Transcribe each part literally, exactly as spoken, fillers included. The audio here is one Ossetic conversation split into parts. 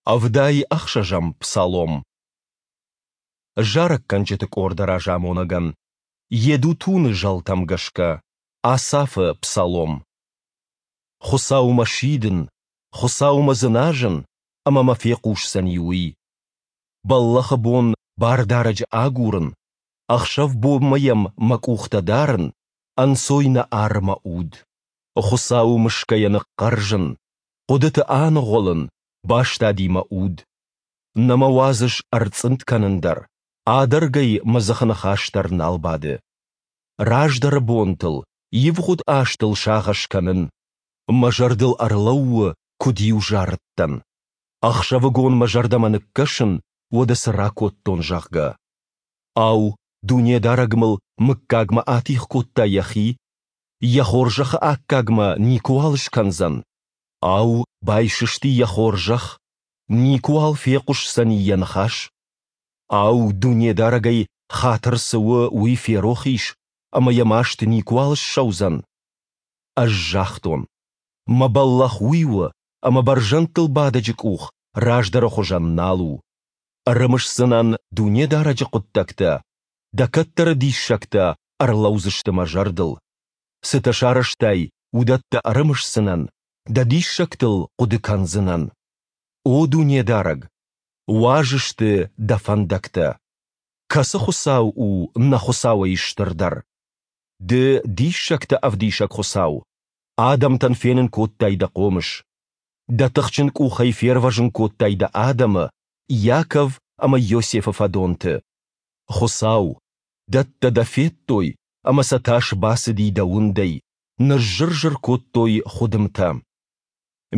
Ӕвдай ӕхсӕзӕм псалом. Зарӕггӕнджыты къорды разамонӕгӕн. Йедутуны зӕлтӕм гӕсгӕ. Асафы псалом. Хуыцаумӕ сидын, Хуыцаумӕ дзыназын, ӕмӕ мӕ фехъусдзӕни Уый. Бӕллӕхы бон Бардарӕджы агурын, ӕхсӕв-бонмӕ йӕм мӕ къухтӕ дарын, ӕнцой нӕ ары мӕ уд. Хуыцауы мысгӕйӕ ныхъхъӕрзын, хъуыдыты аныгъуылын, бастади мӕ уд. Нӕ мӕ уадзыс ӕрцъынд кӕнын дӕр, адӕргӕй мӕ дзыхы ныхас дӕр нал бады. Раздӕры бонтыл, ивгъуыд азтыл сагъӕс кӕнын. Мӕ зӕрдыл ӕрлӕууы, куыд-иу зарыдтӕн. Ӕхсӕвыгон мӕ зӕрдӕмӕ ныккӕсын, уӕдӕ цы ракодтон, зӕгъгӕ. Ау, Дунедарӕг мыл мыггагмӕ атигъ кодта Йӕхи? Йӕ хорзӕхы аккаг мӕ никуыуал скӕндзӕн? Ау, байсысти Йӕ хорзӕх? Никуыуал фехъуысдзӕни Йӕ ныхас? Ау, Дунедарӕгӕй хатыр цы у, уый ферох ис, ӕмӕ Йӕ маст никуыуал ссӕудзӕн? Ӕз загътон: Мӕ бӕллӕх уый у, ӕмӕ Бӕрзӕндтыл Бадӕджы къух раздӕры хуызӕн нал у. Ӕрымысдзынӕн Дунедарӕджы хъуыддӕгтӕ, Дӕ кӕддӕры диссӕгтӕ ӕрлӕудзысты мӕ зӕрдыл. Цытӕ сарӕзтай, уыдӕттӕ ӕрымысдзынӕн, Дӕ диссӕгтыл хъуыды кӕндзынӕн. О Дунедарӕг, уаз сты Дӕ фӕндӕгтӕ! Кӕцы Хуыцау у нӕ Хуыцауӕй стырдӕр? Ды, диссӕгтӕ ӕвдисӕг Хуыцау, адӕмтӕн фенын кодтай Дӕ хъомыс. Дӕ тыхджын къухӕй фервӕзын кодтай Дӕ адӕмы, Иаков ӕмӕ Иосифы фӕдонты. Хуыцау, дӕттӕ Дӕ федтой, ӕмӕ сӕ тас бацыди Дӕ уындӕй, ныззыр-зыр кодтой хуыдымтӕ.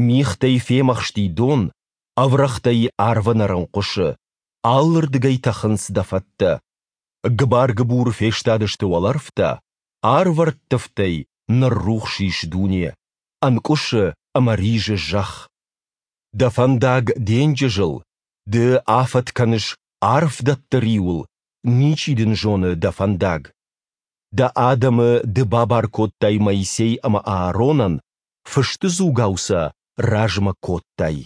Мигътӕй фемӕхсти дон, ӕврӕгътӕй арвы нӕрын хъуысы, алырдыгӕй тӕхынц Дӕ фӕттӕ. Гыбар-гыбур фестадысты уӕлӕрвтӕ, арвӕрттывтӕй ныррухс ис дуне, ӕнкъуысы ӕмӕ ризы зӕхх. Дӕ фӕндаг денджызыл, ды афӕд кӕныс арф дӕтты риуыл, ничи дын зоны дӕ фӕндаг. Дӕ адӕмы ды бабар кодтай Моисей ӕмӕ Ааронӕн, фысты дзугау сӕ размӕ кодтай.